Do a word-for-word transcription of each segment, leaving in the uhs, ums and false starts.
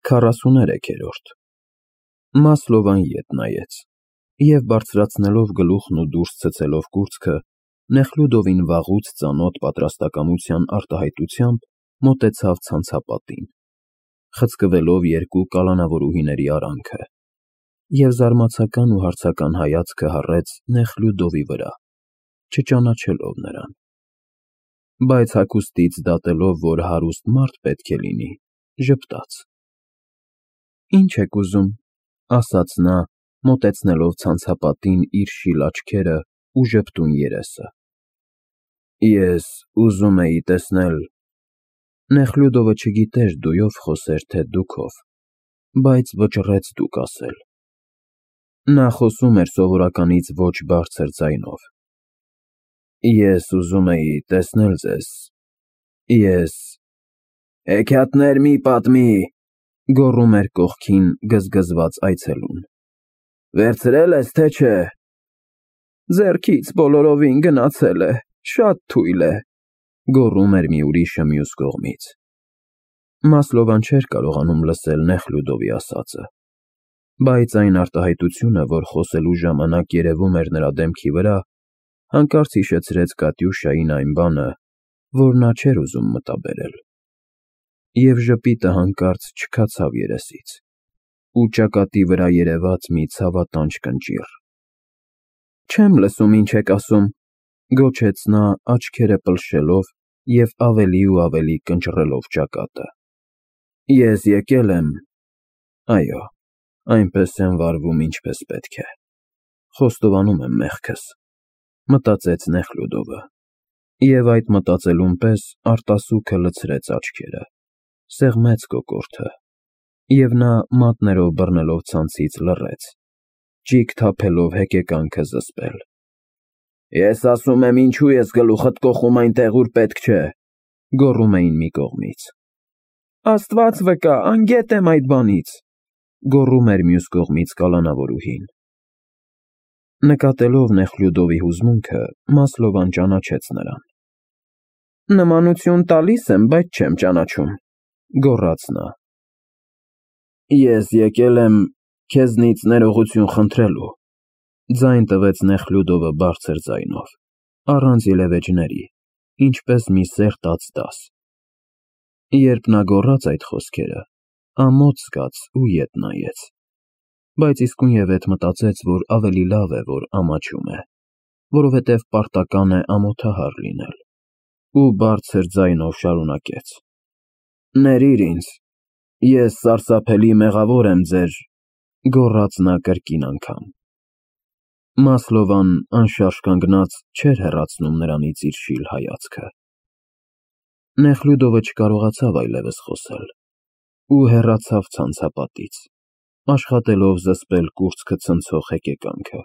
քառասուներեքերորդ Մասլովան ետ նայեց և, բարձրացնելով գլուխն ու դուրս ցցելով կուրծքը, Նեխլյուդովին վաղուց ծանոթ պատրաստակամության արտահայտությամբ մոտեցավ ցանցապատին, խցկվելով երկու կալանավորուհիների արանքը, և զարմացական ու հարցական հայացքը հառեց Նեխլյուդովի վրա, չճանաչելով նրան, բայց հագուստից դատելով, որ հարուստ մարդ պետք է լինի, ժպտաց. Ի՞նչ եք ուզում, ասաց նա, մոտեցնելով ցանցապատին իր շիլ աչքերը ու ժպտուն երեսը: Ես ուզում էի տեսնել… Նեխլյուդովը չգիտեր դույով խոսեր, թե դուքով, բայց վճռեց դուք ասել: Նա խոսում էր սովորականից ոչ բարձր ձայնով: Ես ուզում էի տեսնել ձեզ, ես… Հեքիաթներ մի պատմի, գոռում էր կողքին գզգզված այցելուն: Վերցրե՞լ ես, թե չէ… Ձեռքից բոլորովին գնացել է, շատ թույլ է, գոռում էր մի ուրիշը մյուս կողմից: Մասլովան չէր կարողանում լսել Նեխլյուդովի ասածը, բայց այն արտահայտությունը, որ խոսելու ժամանակ երևում էր նրա դեմքի վրա, հանկարծ հիշեցրեց Կատյուշային այն բանը, որ նա չէր ուզում մտաբերել, և ժպիտը հանկարծ չքացավ երեսից, ու ճակատի վրա երևաց մի ցավատանջ կնճիռ: Չեմ լսում, ինչ եք ասում, գոչեց նա, աչքերը պլշելով և ավելի ու ավելի կնճռելով ճակատը: Ես եկել եմ… Այո, այնպես եմ վարվում, ինչպես պետք է, խոստովանում եմ մեղքս, մտածեց Նեխլյուդովը, և այդ մտածելուն պես արտասուքը լցրեց աչքերը, սեղմեց կոկորդը, և նա մատներով բռնելով ցանցից լռեց, ճիգ թափելով հեկեկանքը զսպել: Ես ասում եմ, ինչու ես գլուխդ կոխում այնտեղ, ուր պետք չէ, գոռում էին մի կողմից: Աստված վկա, անգետ եմ այդ բանից, գոռում էր մյուս կողմից կալանավորուհին: Նկատելով Նեխլյուդովի հուզմունքը, Մասլովան ճանաչեց նրան: Նմանություն տալիս եմ, բայց չեմ ճանաչում, գոռաց նա: Ես եկել եմ քեզնից ներողություն խնդրելու, ձայն տվեց Նեխլյուդովը բարձր ձայնով, առանց ելևէջների, ինչպես մի սերտած դաս: Երբ նա գոռաց այդ խոսքերը, ամոթ զգաց ու ետ նայեց, բայց իսկույնևեթ մտածեց, որ ավելի լավ է, որ ամաչում է, որովհետև պարտական է ամոթահար լինել, ու բարձր ձայնով շարունակեց. Ներիր ինձ, ես սարսափելի մեղավոր եմ ձեր… գոռաց նա կրկին անգամ: Մասլովան, անշարժ կանգնած, չէր հեռացնում նրանից իր շիլ հայացքը: Նեխլյուդովը չկարողացավ այլևս խոսել ու հեռացավ ցանցապատից, աշխատելով զսպել կուրծքը ցնցող հեկեկանքը: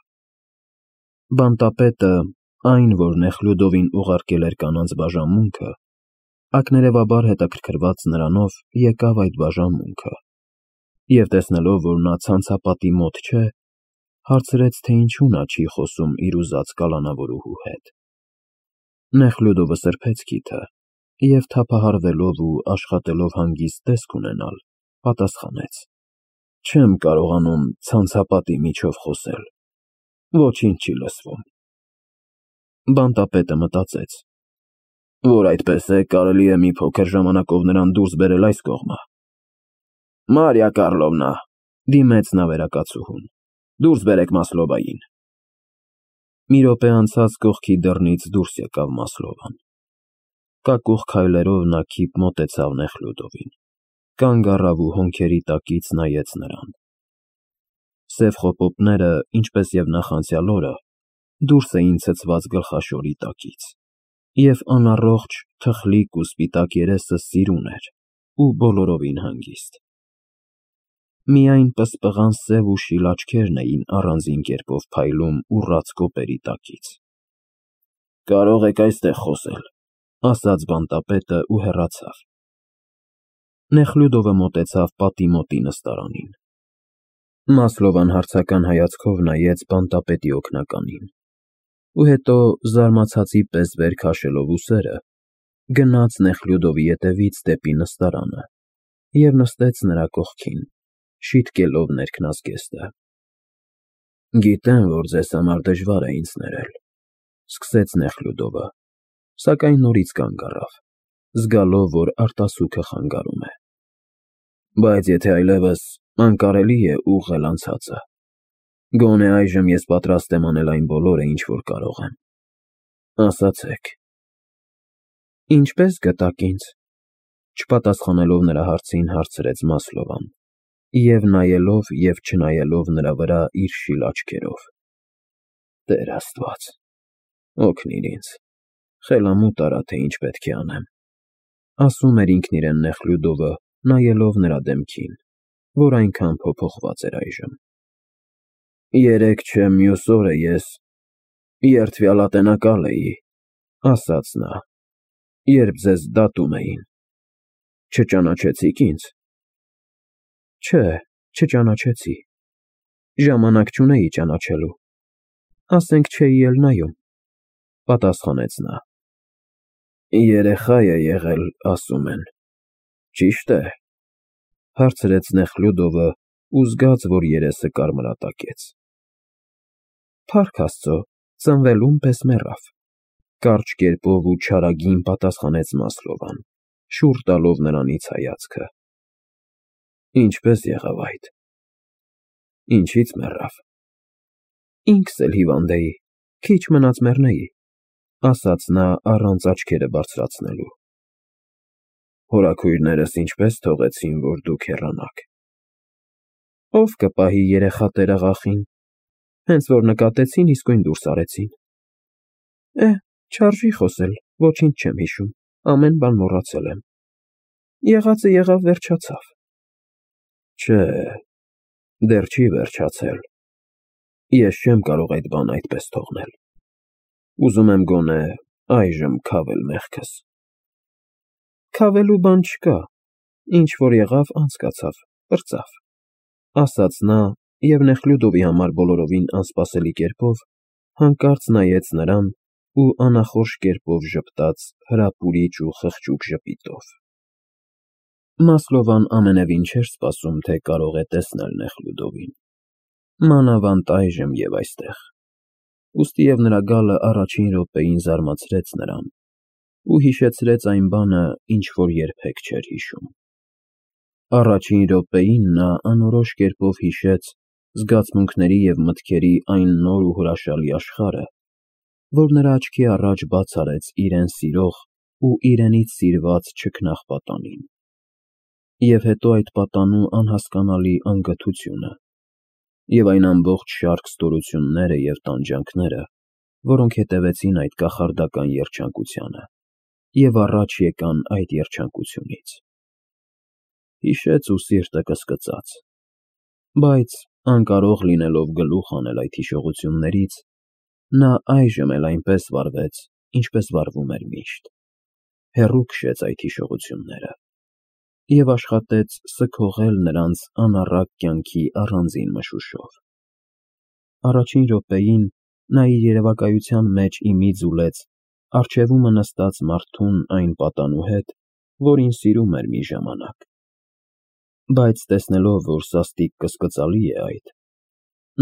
Բանտապետը, այն, որ Նեխլյուդովին ուղարկել էր կանանց բաժանմունքը, ակներևաբար հետաքրքրված նրանով, եկավ այդ բաժանմունքը և, տեսնելով, որ նա ցանցապատի մոտ չէ, հարցրեց, թե ինչու նա չի խոսում իր ուզած կալանավորուհու հետ: Նեխլյուդովը սրբեց քիթը և, թափահարվելով ու աշխատելով հանգիստ տեսք ունենալ, պատասխանեց. Չեմ կարողանում ցանցապատի միջով խոսել, ոչինչ չի լսվում: Բանտապետը մտածեց, որ այդպես է, կարելի է մի փոքր ժամանակով նրան դուրս բերել այս կողմը: Մարիա Կառլովնա, դիմեց նա վերակացուհուն, դուրս բերեք Մասլովային: Մի րոպե անցած կողքի դռնից դուրս եկավ Մասլովան: Կակուղ քայլերով նա քիփ մոտեցավ Նեխլյուդովին, կանգ առավ ու հոնքերի տակից նայեց նրան: Սև խոպոպները, ինչպես և նախանցյալ օրը, դուրս էին ցցված գլխաշորի տակից, և անառողջ, թխլիկ ու սպիտակ երեսը սիրուն էր ու բոլորովին հանգիստ: Միայն պսպղան սև ու շիլ աչքերն էին առանձին կերպով փայլում ուռած կոպերի տակից: Կարող եք այստեղ խոսել, ասաց բանտապետը ու հեռացավ: Նեխլյուդովը մոտեցավ պատի մոտի նստարանին: Մասլովան հարցական հայացքով նայեց բանտապետի օգնականին ու հետո, զարմացածի պես վեր քաշելով ուսերը, գնաց Նեխլյուդովի ետևից դեպի նստարանը և նստեց նրա կողքին, շիտկելով ներքնազգեստը։ Գիտեմ, որ ձեզ համար դժվար է ինձ ներել, սկսեց Նեխլյուդովը, սակայն նորից կանգ առավ, զգալով, որ արտասուքը խանգարում է։ Բայց եթե այլևս անկարելի է ուղղել անցածը, գոնե այժմ ես պատրաստ եմ անել այն բոլորը, ինչ որ կարող եմ։ Ասացեք։ Ինչպե՞ս գտաք ինձ, չպատասխանելով նրա հարցին, հարցրեց Մասլովան, և նայելով և չնայելով նրա վրա իր շիլ աչքերով։ Տեր Աստված, օգնիր ինձ, խելամուտ արա, թե ինչ պետք է անեմ, ասում էր ինքն իրեն Նեխլյուդովը, նայելով նրա դեմքին, որ այնքան փոփոխված էր այժմ։ Երեկ չէ մյուս օրը ես երդվյալատենակալ էի, ասաց նա, երբ ձեզ դատում էին, չճանաչեցիք ինձ։ Չէ, չճանաչեցի, ժամանակ չունեի ճանաչելու, ասենք չէի էլ նայում, պատասխանեց նա։ Երեխա է եղել, ասում են, ճի՞շտ է, հարցրեց Նեխլյուդովը ու զգաց, որ երեսը կարմրատակեց։ Փառք Աստծո, ծնվելուն պես մեռավ, կարճ կերպով ու չարագին պատասխանեց Մասլովան, շուռ տալով նրանից հայացքը։ Ինչպե՞ս եղավ այդ։ Ինչի՞ց մեռավ։ Ինքս էլ հիվանդ էի, քիչ մնաց մեռնեի, ասաց նա առանց աչքերը բարձրացնելու։ Հորաքույրներս ինչպե՞ս թողեցին, որ դուք հեռանաք։ Ո՞վ կպահի երեխա տերաղախին, հենց որ նկատեցին, իսկույն դուրս արեցին։ Է, չարժի խոսել, ոչինչ չեմ հիշում, ամեն բան մոռացել եմ։ Եղածը եղավ, վերջացավ։ Չէ, դեռ չի վերջացել։ Ես չեմ կարող այդ բանը այդպես թողնել։ Ուզում եմ գոնե այժմ քավել մեղքս։ Քավելու բան չկա, ինչ որ եղավ, անցկացավ, պրծավ, ասաց նա և Նեխլյուդովի համար բոլորովին անսպասելի կերպով հանկարծ նայեց նրան ու անախորժ կերպով ժպտաց հրապուրիչ ու խղճուկ ժպիտով։ Մասլովան ամենևին չէր սպասում, թե կարող է տեսնել Նեխլյուդովին, մանավանդ այժմ և այստեղ, ուստիև նրա գալը առաջին րոպեին զարմացրեց նրան ու հիշեցրեց այն բանը, ինչ որ երբեք չէր հիշում։ Առաջին րոպեին նա անորոշ կերպով հիշեց զգացմունքների և մտքերի այն նոր ու հրաշալի աշխարհը, որ նրա աչքի առաջ բաց արեց իրեն սիրող ու իրենից սիրված չքնաղ պատանին, և հետո այդ պատանու անհասկանալի անգթությունը, և այն ամբողջ շարք ստորությունները և տանջանքները, որոնք հետևեցին այդ կախարդական երջանկությանը և առաջ եկան այդ երջանկությունից։ Հիշեց ու սիրտը կսկծաց, բայց անկարող լինելով գլուխ հանել այդ հիշողություններից, նա այժմ էլ այնպես վարվեց, ինչպես վարվում էր միշտ, հեռու քշեց այդ հիշողությունները և աշխատեց սգողել նրանց անառակ կյանքի առանձին մշուշով։ Առաջին րոպեին նա իր երևակայության մեջ ի մի ձուլեց առջևումը նստած մարդուն այն պատանու հետ, որին սիրում էր մի ժամանակ, բայց տեսնելով, որ սաստիկ կսկծալի է այդ,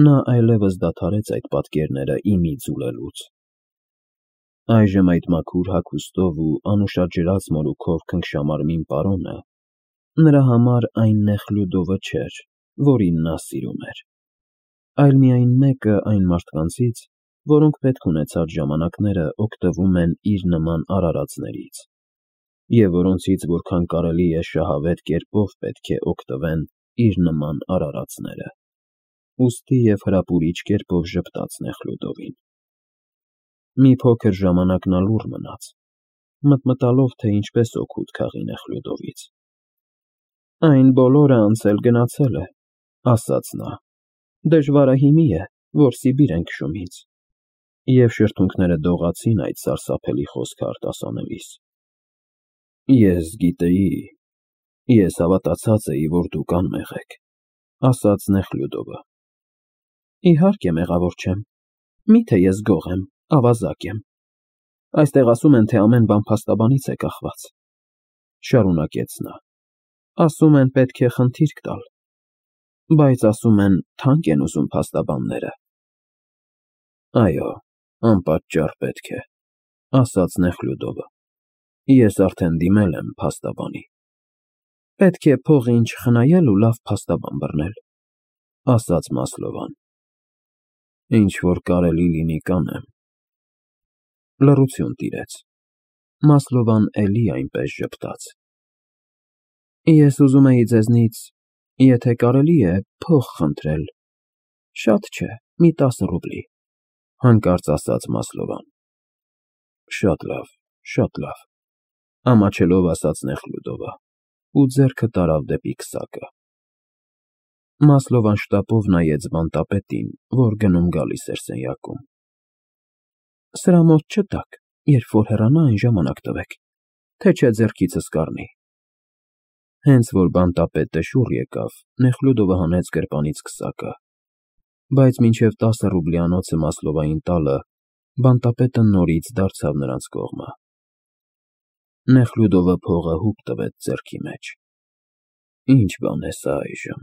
նա այլևս դադարեց այդ պատկերները ի մի ձուլելուց։ Այժմ այդ մաքուր հագուստով ու անուշաջրած մորուքով քնքշամարմին պարոնը նրա համար այն Նեխլյուդովը չէր, որին նա սիրում էր, այլ միայն մեկը այն մարդկանցից, որոնք պետք ունեցած ժամանակները օգտվում են իր նման արարածներից, և որոնցից որքան կարելի է շահավետ կերպով պետք է օգտվեն իր նման արարածները, ուստի և հրապուրիչ կերպով ժպտաց Նեխլյուդովին։ Մի փոքր ժամանակ նա լուռ մնաց, մտմտալով, թե ինչպես օգուտ քաղի Նեխլյուդովից։ Այն բոլորը անցել գնացել է, ասաց նա, դժվարահիմի է, որ Սիբիր են քշում ինձ, և շրթունքները դողացին այդ սարսափելի խոսքը արտասանելիս։ Ես գիտեի, ես հավատացած էի, որ դուք անմեղ եք, ասաց Նեխլյուդովը։ Իհարկե մեղավոր չեմ, միթե ես գող եմ, ավազակ եմ։ Այստեղ ասում են, թե ամեն բան փաստաբանից է կախված, շարունակեց նա։ Ասում են պետք է խնդիրք տալ, բայց ասում են թանկ են ուզում փաստաբանները։ Այո, անպատճառ պետք է, ասաց Նեխլյուդովը։ Ես արդեն դիմել եմ փաստաբանի։ Պետք է փողին չխնայել ու լավ փաստաբան բռնել, ասաց Մասլովան։ Ինչ որ կարելի լինի կանեմ։ Լռություն տիրեց։ Մասլովան էլի այնպես ժպտաց։ Ես ուզում էի ձեզնից, եթե կարելի է, փող խնդրել, շատ չէ, մի տասը ռուբլի, հանկարծ ասաց Մասլովան։ Շատ լավ, շատ լավ, ամաչելով ասաց Նեխլյուդովը ու ձեռքը տարավ դեպի քսակը։ Մասլովան շտապով նայեց բանտապետին, որ գնում֊գալիս էր սենյակում։ Սրա մոտ չտաք, երբ որ հեռանա, այն ժամանակ տվեք, թե չէ ձեռքիցս կառնի։ Հենց որ բանտապետը շուռ եկավ, Նեխլյուդովը հանեց գրպանից քսակը, բայց մինչև տասը ռուբլյանոցը Մասլովային տալը, բանտապետը նորից դարձավ նրանց կողմը։ Նեխլյուդովը փողը հուպ տվեց ձեռքի մեջ։ Ինչ բան է սա այժմ։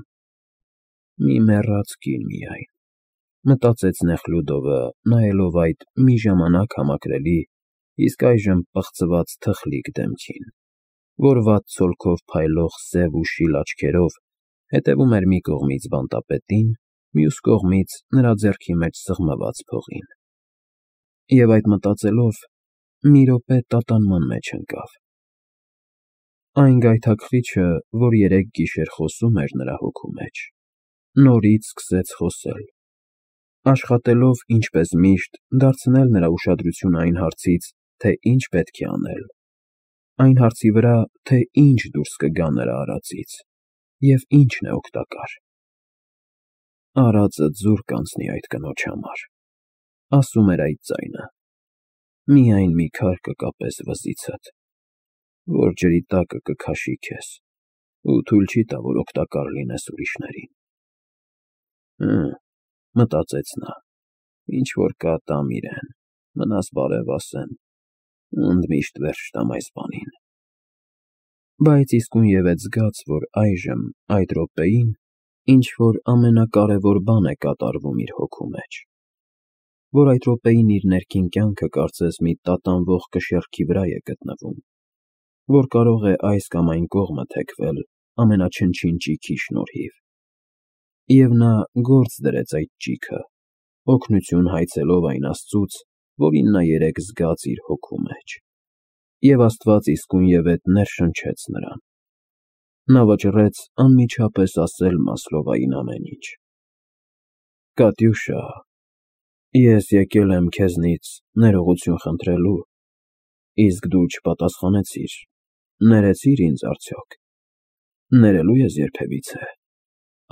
Մի մեռած կին միայն, մտածեց Նեխլյուդովը, նայելով այդ մի ժամանակ համակրելի, իսկ այժմ պղծված թխլիկ դեմքին, որ վատ ցոլքով փայլող սև ու շիլ աչքերով հետևում էր մի կողմից բանտապետին, մյուս կողմից նրա ձեռքի մեջ սեղմված փողին։ Եվ այդ մտածելով, մի րոպե տատանման մեջ ընկավ։ Այն գայթակղիչը, որ երեք գիշեր խոսում էր նրա հոգու մեջ, նորից սկսեց խոսել, աշխատելով, ինչպես միշտ, դարձնել նրա ուշադրությունը այն հարցից, թե ինչ պետք է անել, այն հարցի վրա, թե ինչ դուրս կգա նրա արածից և ինչն է օգտակար։ Արածը ձուր կանցնի այդ կնոջ համար, ասում էր այդ ձայնը, միայն մի քար կկապես վզիցդ, որ ջրի տակը կքաշի քեզ ու թույլ չի տա, որ օգտակար լինես ուրիշներին։ Հը, մտածեց նա, ինչ որ կա տամ իրեն, մնաս բարև ասեմ, ու ընդմիշտ վերջ տամ այս բանին։ Բայց իսկույնևեթ զգաց, որ այժմ, այդ րոպեին, ինչ-որ ամենակարևոր բան է կատարվում իր հոգու մեջ, որ այդ րոպեին իր ներքին կյանքը կարծես մի տատանվող կշեռքի վրա է գտնվում, որ կարող է այս կամ այն կողմը թեքվել ամենաչնչին ճիգի շնորհիվ։ Եվ նա գործ դրեց այդ ճիգը, օգնություն հայցելով այն Աստծուց, որին նա երեկ զգաց իր հոգու մեջ, և Աստված իսկույնևեթ ներշնչեց նրան։ Նա վճռեց անմիջապես ասել Մասլովային ամեն ինչ։ Կատյուշա, ես եկել եմ քեզնից ներողություն խնդրելու, իսկ դու չպատասխանեցիր, ներեցի՞ր ինձ արդյոք։ Ներելու ես երբևիցե,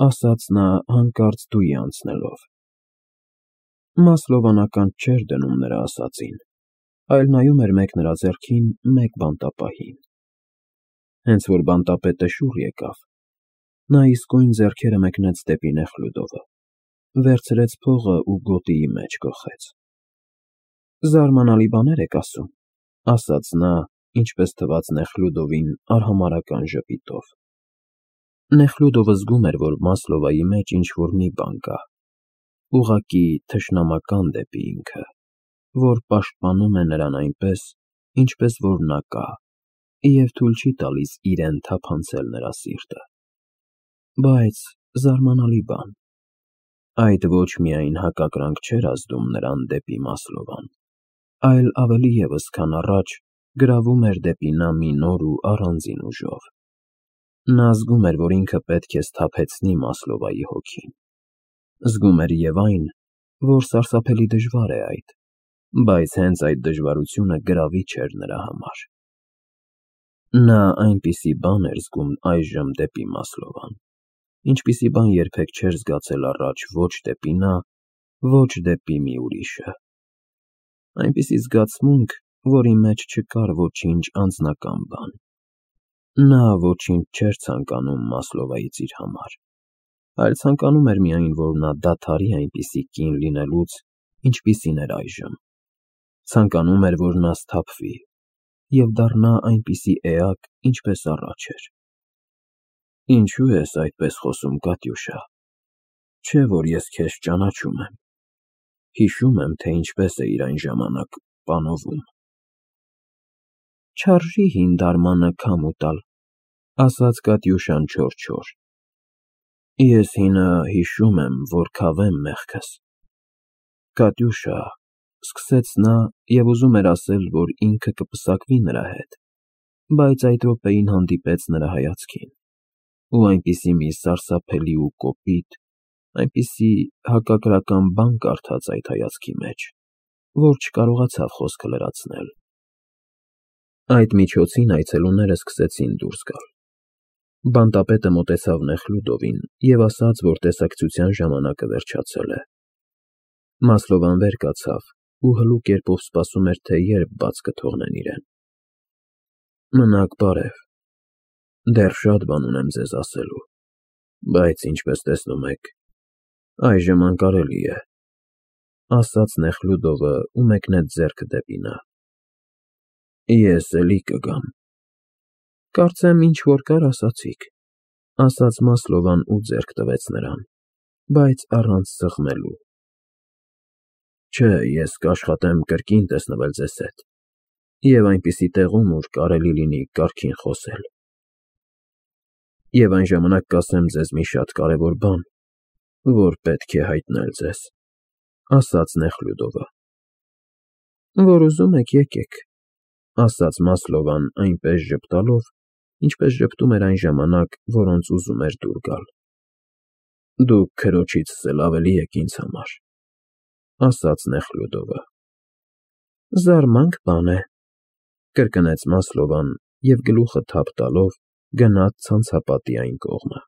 ասաց նա հանկարծ դույի անցնելով։ Մասլովան ականջ չէր դնում նրա ասածին, այլ նայում էր մեկ նրա ձեռքին, մեկ բանտապահին։ Հենց որ բանտապետը շուռ եկավ, նա իսկույն ձեռքերը մեկնեց դեպի Նեխլյուդովը, վերցրեց փողը ու գոտիի մեջ կոխեց։ Զարմանալի բաներ եք ասում, ասաց նա, ինչպես թվաց Նեխլյուդովին արհամարհական ժպիտով։ Նեխլյուդովը զգում էր, որ Մասլովայի մեջ ինչ-որ մի բան կա, ուղղակի թշնամական դեպի ինքը, որ պաշտպանում է նրան այնպես, ինչպես որ նա կա, և թույլ չի տալիս իրեն թափանցել նրա սիրտը։ Բայց զարմանալի բան, այդ ոչ միայն հակակրանք չէր ազդում նրան դեպի Մասլովան, այլ ավելի ևս, քան առաջ, գրավում էր դեպի նա մի նոր ու առանձին ուժով։ Նա զգում էր, որ ինքը պետք է սթափեցնի Մասլովայի հոգին։ Զգում էր և այն, որ սարսափելի դժվար է այդ, բայց հենց այդ դժվարությունը գրավիչ էր նրա համար։ Նա այնպիսի բան էր զգում այժմ դեպի Մասլովան, ինչպիսի բան երբեք չէր զգացել առաջ ոչ դեպի նա, ոչ դեպի մի ուրիշը։ Այնպիսի զգացմունք, որի մեջ չկար ոչինչ անձնական բան։ Նա ոչինչ չէր ցանկանում Մասլովայից իր համար, այլ ցանկանում էր միայն, որ նա դադարի այնպիսի կին լինելուց, ինչպիսին էր այժմ։ Ցանկանում էր, որ նա սթափվի և դառնա այնպիսի էակ, ինչպես առաջ էր։ Ինչու ես այդպես խոսում, Կատյուշա, չէ՞ որ ես քեզ ճանաչում եմ, հիշում եմ, թե ինչպես էիր այն ժամանակ պանովում։ Չարժի հին դարմանը քամու տալ, ասաց Կատյուշան չոր-չոր։ Ես հինը հիշում եմ, որ քավեմ մեղքս։ Կատյուշա, սկսեց նա և ուզում էր ասել, որ ինքը կպսակվի նրա հետ, բայց այդ րոպեին հանդիպեց նրա հայացքին, ու այնպիսի մի սարսափելի ու կոպիտ, այնպիսի հակակրական բան կարդաց այդ հայացքի մեջ, որ չկարողացավ խոսքը լրացնել։ Այդ միջոցին այցելուները սկսեցին դուրս գալ։ Բանտապետը մոտեցավ Նեխլյուդովին և ասաց, որ տեսակցության ժամանակը վերջացել է։ Մասլովան վեր կացավ ու հլու կերպով սպասում էր, թե երբ բաց կթողնեն իրեն։ Մնաք բարև, դեռ շատ բան ունեմ ձեզ ասելու, բայց ինչպես տեսնում եք, այժմ անկարելի է, ասաց Նեխլյուդովը ու մեկնեց ձեռքը դեպի նա։ Ես էլի կգամ։ Կարծեմ ինչ որ կար ասացիք, ասաց Մասլովան ու ձեռք տվեց նրան, բայց առանց սեղմելու։ Չէ, ես կաշխատեմ կրկին տեսնվել ձեզ հետ և այնպիսի տեղում, ուր կարելի լինի կարգին խոսել։ Եվ այն ժամանակ կասեմ ձեզ մի շատ կարևոր բան, որ պետք է հայտնել ձեզ, ասաց Նեխլյուդովը։ Որ ուզում եք, եկեք, ասաց Մասլովան այնպես ժպտալով, ինչպես ժպտում էր այն ժամանակ, որոնց ուզում էր դուր գալ։ Դուք քրոջիցս էլ ավելի եք ինձ համար, ասաց Նեխլյուդովը։ Զարմանք բան է, կրկնեց Մասլովան և գլուխը թափ տալով գնաց ցանցապատի այն կողմը։